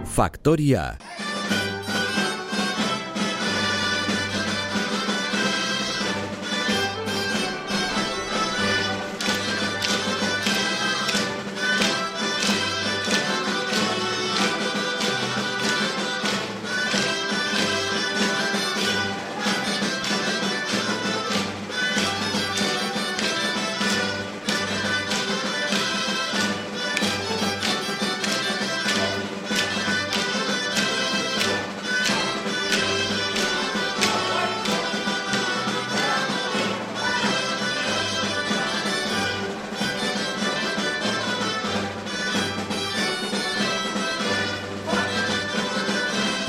Faktoria.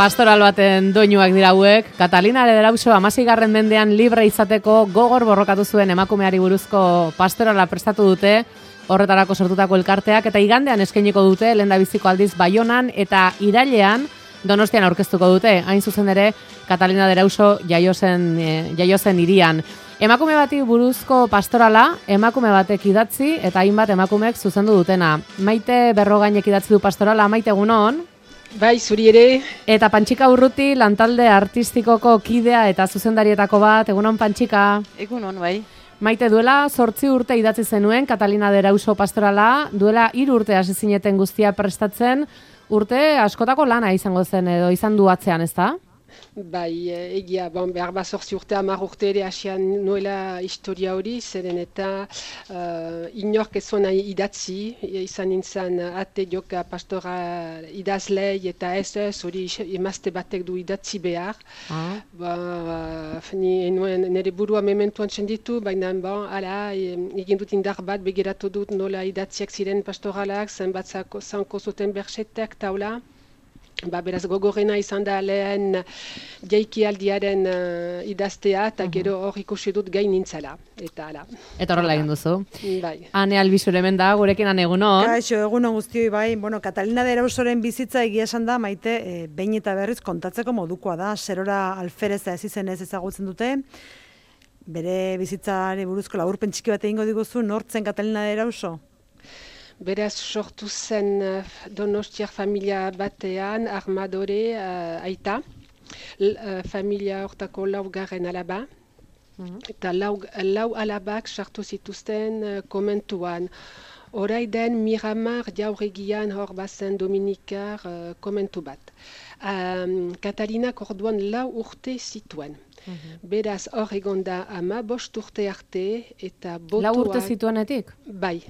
Pastoral baten doinuak dira hauek. Catalina de Erauso 16. mendean libre izateko gogor borrokatu zuen emakumeari buruzko pastorala prestatu dute, horretarako sortutako elkarteak, eta igandean eskainiko dute lehendabiziko aldiz Baionan eta irailean Donostian aurkeztuko dute. Hain zuzen ere, Catalina de Erauso jaio zen hirian. Emakume bati buruzko pastorala, emakume batek idatzi eta hainbat emakumeek zuzendu dutena. Maite Berrogainek idatzi du pastorala. Maite, egunon? Bai, zuri ere. Eta Pantxika Urruti, lantalde artistikoko kidea eta zuzendarietako bat. Egunon, Pantxika? Egunon, bai. Maite, duela 8 urte idatzi zenuen Catalina de Erauso pastorala, duela 3 urte hasi zineten guztia prestatzen, urte askotako lana izango zen edo izan du atzean, ezta? Bai, egia, behar bat 8 urte, 10 urte ere hasian nuela historia hori, zeren eta inork ez zuen idatzi, izan nintzen ate joka pastora idazlei eta ez hori emazte batek du idatzi behar. Nire burua mementuan txenditu, baina egin dut indar bat, begiratu dut nola idatziak ziren pastoralak, zenbat zanko zuten bersetek taula. Beraz gogorrena izan da lehen jaikialdiaren idaztea eta gero hor ikusi dut gain nintzela. Eta horrela egin duzu. Bai. Ane Albizur hemen da, gurekin ane egunon. Kaixo, egunon guztioi bai. Catalina de Erausoren bizitza egia esan da, Maite, behin eta berriz kontatzeko modukoa da. Zerora alfereza ez izenez ezagutzen dute. Bere bizitzari buruzko laburpen txiki bat egingo diguzu, nortzen Catalina de Erauso? Beraz sortu zen Donostiar familia batean, armadore aita, familia hortako 4. alaba, eta lau alabak sartu zituzten komentuan. Oraiden Miramar jauregian hor bazen Dominikar komentu bat. Katalinak orduan 4 urte zituen. Beraz hor egon da 15 urte arte eta botuak... 4 urte zituenetik? Bai.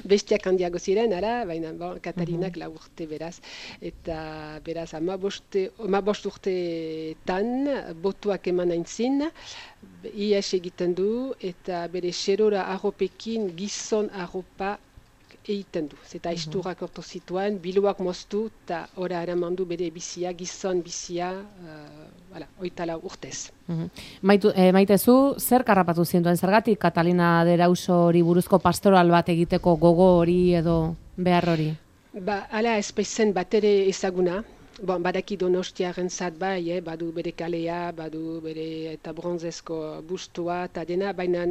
Bestiak handiago ziren, baina Katalinak 4 urte beraz. Eta beraz 15 urteetan botuak eman aintzin, ies egiten du eta bere xerora arropekin gizon arropa egiten du. Zeta isturak orto zituen, biluak moztu eta ora eraman du bere bizia, gizon bizia, 24 urtez. Maitezu, zer karrapatu zintuen zergatik Catalina de Erauso hori buruzko pastoral bat egiteko gogo hori edo behar hori? Hala ez baizen bat ere ezaguna. Badaki Donostiaren zat bai, badu bere kalea, badu bere eta bronzezko bustua eta dena, baina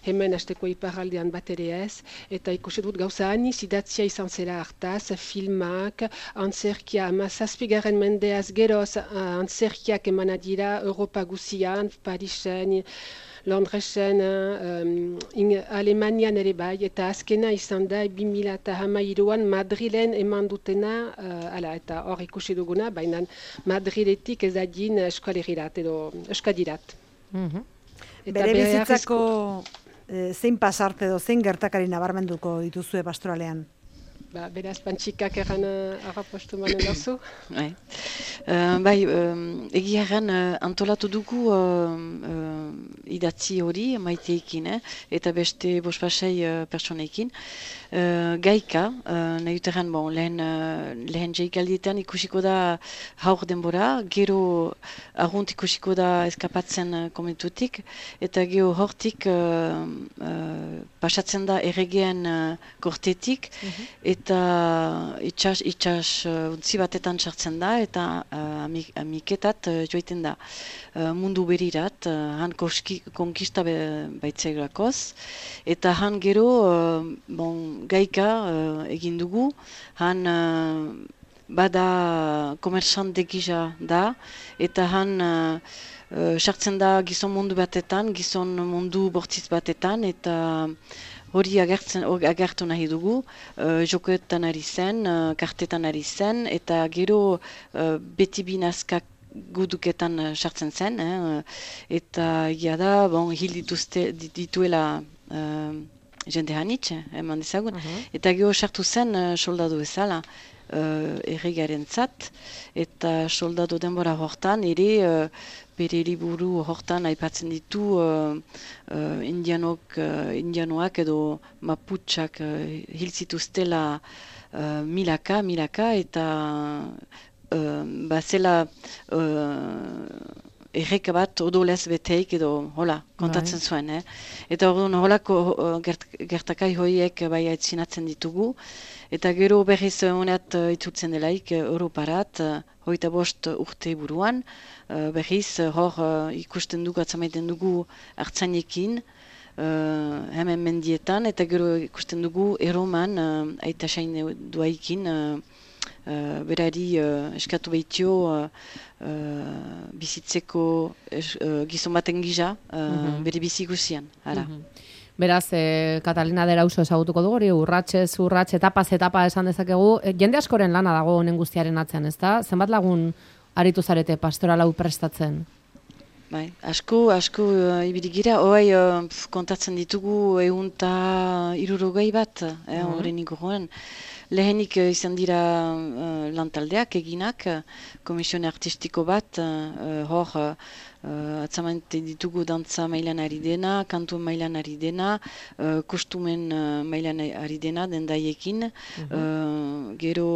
hemen hasteko iparraldean bat ere ez. Eta ikusi dut gauza aniz idatzia izan zela hartaz, filmak, antzerkia, 17. mendeaz geroz antzerkiak emana dira Europa guzian, Parisen, Londresen, Alemanian ere bai, eta azkena izan da 2013an Madrilen eman dutena, eta hor ikusi duguna, baina Madriletik ez adin eskualerirat edo eskadirat. Bere bizitzako zein pasarte edo zein gertakari nabarmenduko dituzue pastoralean? Beraz, Pantxikak erran harrapostu manen dauzu? Bai, egia erran antolatu dugu idatzi hori Maiteekin, eta beste 5-6 pertsoneekin. Gaika, nahi dut erran, lehen jaikaldietan ikusiko da haur denbora, gero argunt ikusiko da eskapatzen komentutik, eta gero hortik pasatzen da erregeen kortetik, eta itxas untzi batetan sartzen da, eta amiketat joiten da mundu berirat, han konkista baitzeglakoz, eta han gero gaika egin dugu, han bada komersante gisa da, eta han sartzen da gizon mundu batetan, gizon mundu bortitz batetan, eta hori agertu nahi dugu, jokoetan ari zen, kartetan ari zen, eta gero beti binazkak guduketan sartzen zen, eta egia da, hil dituela jende hanitz, eman dezagun, eta gero sartu zen soldadu bezala erregarentzat, eta soldadu denbora hortan ere bere liburu hortan aipatzen ditu indianoak edo maputxak hil zituztela milaka, eta zela erreka bat odolez beteik edo hola kontatzen zuen. Eta holako gertakai horiek bai aitzinatzen ditugu. Eta gero berriz honeat itzultzen delaik Europarat, 25 urte buruan, berriz hor ikusten dugu, atzamaiten dugu hartzainekin, hemen mendietan, eta gero ikusten dugu Erroman, aita sain duaikin, berari eskatu behitio bizitzeko gizon baten gisa, bere bizi guzian. Beraz, Catalina de Erauso ezagutuko dugu, hori urratxez, etapa esan dezakegu. Jende askoren lana dago honen guztiaren atzean, ezta? Zenbat lagun aritu zarete pastoral hau prestatzen? Bai, asko ibili gira, hoai kontatzen ditugu 160 bat, horren inguruan. Lehenik izan dira lantaldeak eginak, komisione artistiko bat, hor atzamante ditugu dantza mailan ari dena, kantu mailan ari dena, kostumen mailan ari dena dendaiekin. Gero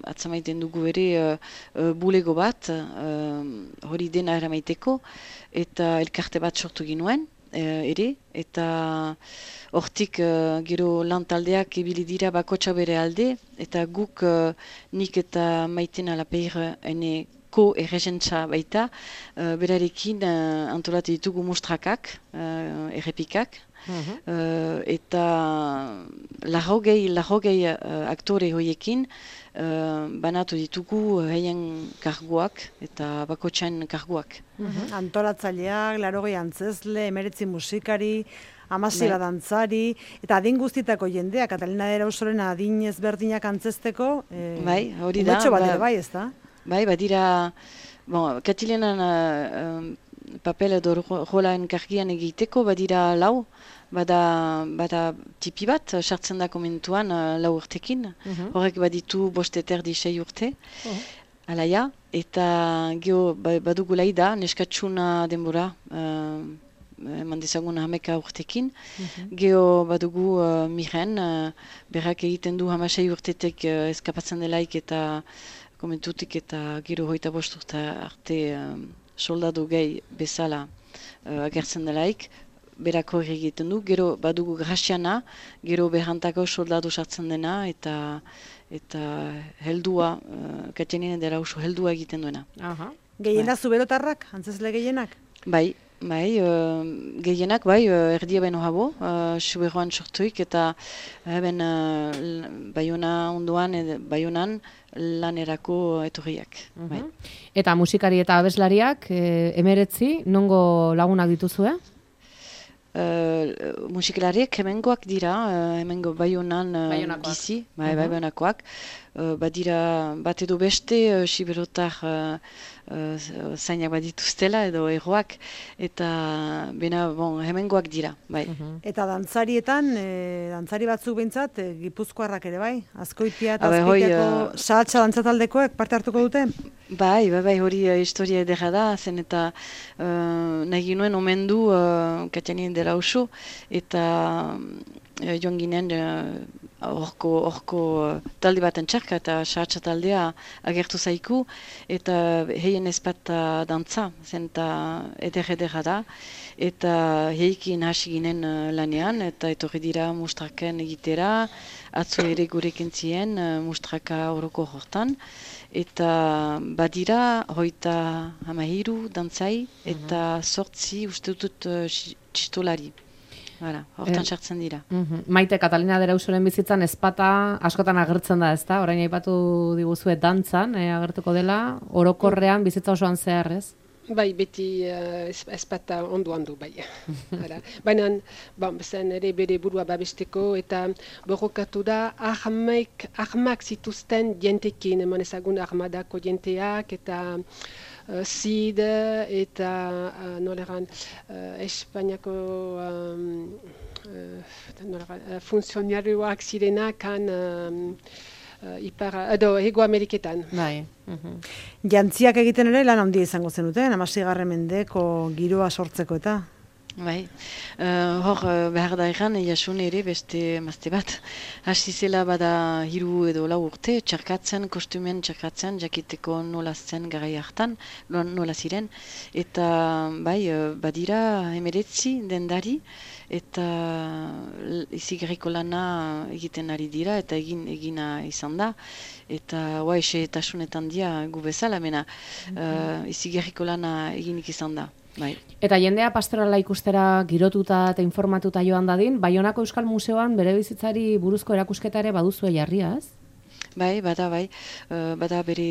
atzamaiten dugu ere bulego bat, hori dena eramaiteko, eta elkarte bat sortu ginuen ere, eta hortik gero lantaldeak ibili dira bakotxa bere alde, eta guk nik eta Maiten Alapeir ene ko-erregentza baita, berarekin antolatu ditugu mustrakak, errepikak, eta larrogei aktore horiekin banatu ditugu heien karguak eta bakotxain karguak. Antolatzaileak, 80 antzezle, 19 musikari, 16 dantzari, eta adin guztitako jendea, Catalina de Erausoren adin ezberdinak antzesteko, hori da. Umetxo bat ere bai, ez da? Bai, badira, Katilenan papel edo rolaen kargian egiteko, badira lau, bada tipi bat, sartzen da komentuan 4 urtekin, horrek baditu 5 erdi 6 urte, alaia, eta geho badugu laida, neskatxuna denbora, eman dezagun 11 urtekin, geho badugu Miren, berrak egiten du 16 urtetek eskapatzen delaik eta komentutik eta gero 25 urte arte soldadu gehi bezala agertzen delaik, berako egiten du, gero badugu Graziana, gero berantako soldadu sartzen dena, eta heldua, Catalina de Erauso heldua egiten duena. Gehienak zuberotarrak, antzesle gehienak? Bai, gehienak, erdia baino habo, suberoan sortuik, eta Baiona ondoan, Baionan lanerako etorriak. Eta musikari eta abeslariak, 19, nongo lagunak dituzue? Musikalariek hemengoak dira, hemengo Baionan gizi, Baionakoak. Badira bat edo beste, siberotar zainak badituztela edo erroak, eta hemengoak dira, bai. Eta dantzarietan, dantzari batzuk behintzat, gipuzkoarrak ere bai? Azkoitia eta Azkoitiako sahatxa dantzataldekoek parte hartuko dute? Bai, hori historia edera da, zen eta nahi nuen omendu Catalina de Erauso, eta joan ginen horko talde baten txarka eta sahatxa taldea agertu zaiku, eta heien ezpata dantza, zen eta edera da, eta heikin hasi ginen lanean, eta etorri dira mustraken egitera, atzo ere gurekin zien mustraka horoko hortan, eta badira 23 dantzai eta 8 uste dut txistolari. Hortan sartzen dira. Maite, Katalina Derausoren bizitzan ezpata askotan agertzen da, ezta? Orain aipatu diguzue dantzan, agertuko dela, orokorrean bizitza osoan zehar, ez? Bai, beti ezpata ondo, bai. Baina, zen ere bere burua babesteko eta borrokatu da armak zituzten jentekin, eman ezagun armadako jenteak eta Zid eta noleran Espainiako funtzionarioak zirenak Hego Ameriketan. Bai. Jantziak egiten ere lan handia izango zenuten, 16. mendeko giroa sortzeko eta? Bai, hor behar da egan, jasun ere beste mazte bat. Hasi zela bada 3 edo 4 urte, kostumen txarkatzen, jakiteko nola zen garai hartan, nola ziren. Eta bai, badira 19 dendari, eta izigarriko lana egiten ari dira, eta egina izan da. Eta esetasunetan dia gu bezala, mena izigarriko lana eginik izan da. Bai. Eta jendea pastorala ikustera girotuta eta informatuta joan dadin, Baionako Euskal Museoan bere bizitzari buruzko erakusketa ere baduzue jarria, ez? Bai, bada bere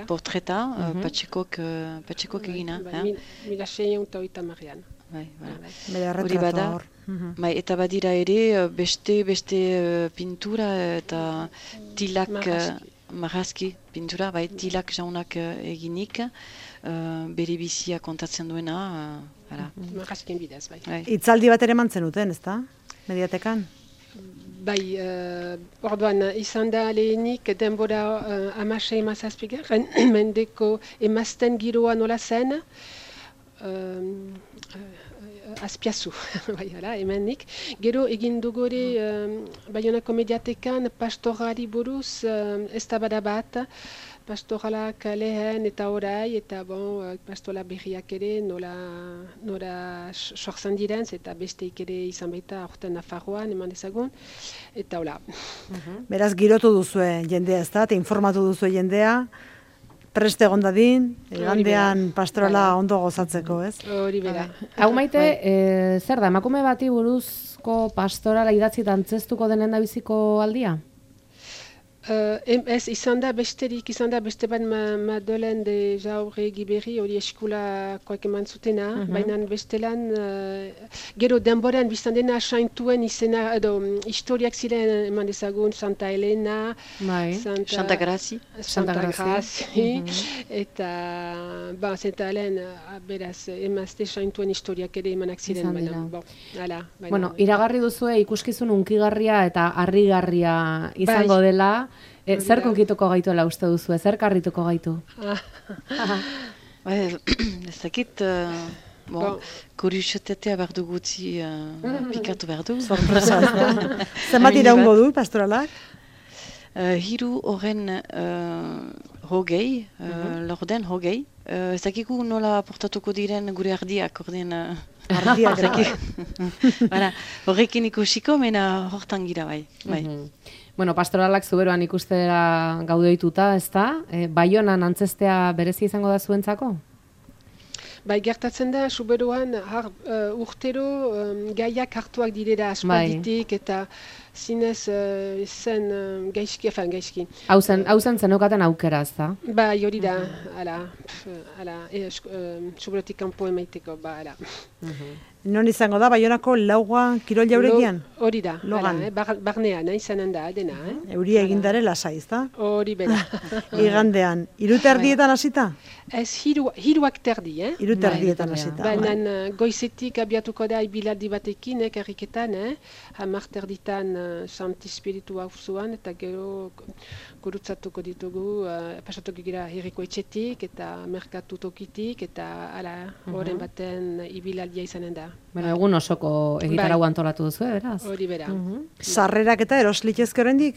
portreta, Patxikok egina. 1680an. Bere retratua hor. Bai, eta badira ere beste pintura eta tilak, marrazki pintura, bai, tilak jaunak eginik, bere bizia kontatzen duena. Marrazkien bidez, bai. Itzaldi bat ere mantzen duten, ezta? Mediatekan? Bai, orduan izan da lehenik denbora 16-17 mendeko emazten giroa nola zen, Azpiazu, hemenik. Gero egin dugore Baionako Mediatekan pastorari buruz eztabaida bat, pastoralak lehen eta orai, eta pastola berriak ere nola sortzen diren, eta besteik ere izan baita aurten Nafarroan, eman ezagun, eta hola. Beraz, girotu duzue jendea, ezta? Eta informatu duzue jendea, preste egon dadin, egandean pastorala ondo gozatzeko, ez? Hori bera. Hau Maite, zer da, emakume bati buruzko pastorala idatzi dantzeztuko denen da biziko aldia? Ez izan da besterik, beste bat Madeleine de Jaurre Giberri hori eskulakoak eman zutena, baina bestelan gero denboran biztan dena saintuen izena, historiak ziren eman dezagun Santa Elena, Santa Grazi, eta Santa Elena beraz emazte saintuen historiak ere emanak ziren. Bueno, iragarri duzue ikuskizun unkigarria eta harrigarria izango dela. Zer konkituko gaituela uste duzu, zer karrituko gaitu? Ez dakit, kuriositatea behar du gutxi pikatu behar du. Sorpresa, ez da? Zenbat iraungo du, pastoralak? 3 horren hogei, lorden hogei. Ez dakiku nola portatuko diren gure ardiak, orden... Ardiak, horrekin ikusiko, mena hortan gira bai. Bueno, pastoralak zuberoan ikustera gaudeituta, ez da? Baionan antzestea berezi izango da zuentzako? Bai, gertatzen da, zuberoan urtero gaiak hartuak direra aspalditik eta zinez zen gaizki. Hau zen zenokaten aukera, ez da? Bai, hori da, zuberotik kanpo emaiteko, ala. Non izango da, Baionako Laua kirol jauregian? Hori da, barnean, izanen da, dena. Euria egindare lasai, ez da? Hori bera. Igandean, 3:00 hasita? Ez, 3:00, 3:00 hasita. Baina goizetik abiatuko da ibilaldi batekin, erriketan, 10:00 Santi Spiritu hauzuan, eta gero gurutzatuko ditugu, pasatuko gira herriko etxetik, eta merkatu tokitik, eta horren baten ibilaldia izanen da. Bueno, egun osoko egitarau antolatu duzu, beraz? Hori bera. Sarrerak eta eroslitezke oraindik?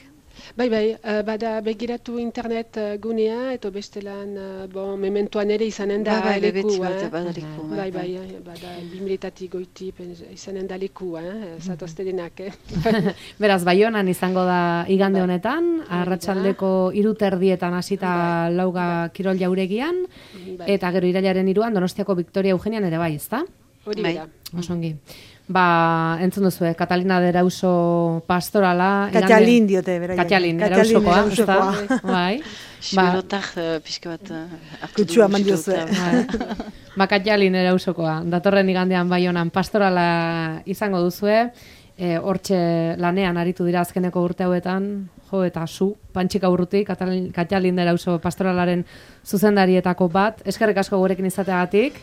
Bai, bada begiratu internet gunea, eta bestelan, mementoan ere izanen da leku. Bai, bada 2000 goiti izanen da leku, zatozte denak. Beraz, Baionan izango da igande honetan, arratsaldeko 3:00 hasita Lauga kirol jauregian, eta gero irailaren 3 Donostiako Victoria Eugenian ere bai, ezta? Hori bera. Osongi. entzun duzu, Catalina de Erauso pastorala. Katxalin diote, bera. Katxalin, Erausokoa, ezta? Bai. Xiberotak pixka bat hartu Kutsua eman diozue. Katxalin Erausokoa. Datorren igandean Baionan pastorala izango duzue. Hortxe lanean aritu dira azkeneko urte hauetan, eta Pantxika Urruti, Katxalin de Erauso pastoralaren zuzendarietako bat. Eskerrik asko gurekin izateagatik.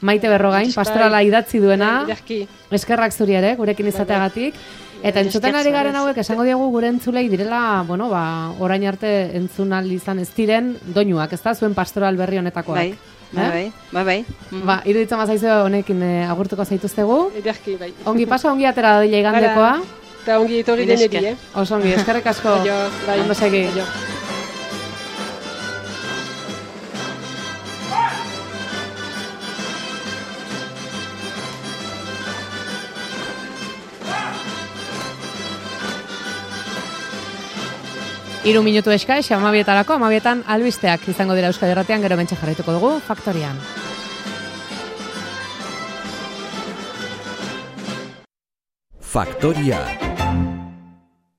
Maite Berrogain, pastorala idatzi duena, eskerrak zuri ere, gurekin izateagatik. Eta entzuten ari garen hauek, esango diegu gure entzulei direla, orain arte entzunal izan ez diren doinuak, ez da, zuen pastoral berri honetakoak. Bai. Iruditzen mazaizu honekin agurtuko zaituztegu. Ederki, bai. Ongi pasa, ongi atera dila igandekoa. Eta ongi etorri denedi, Oso ongi, eskerrik asko. Ondo segi. Hiru minutu eska, 12:00, 12:00 albisteak izango dira Euskadi Irratian, gero bentsa jarraituko dugu Faktorian. Faktoria.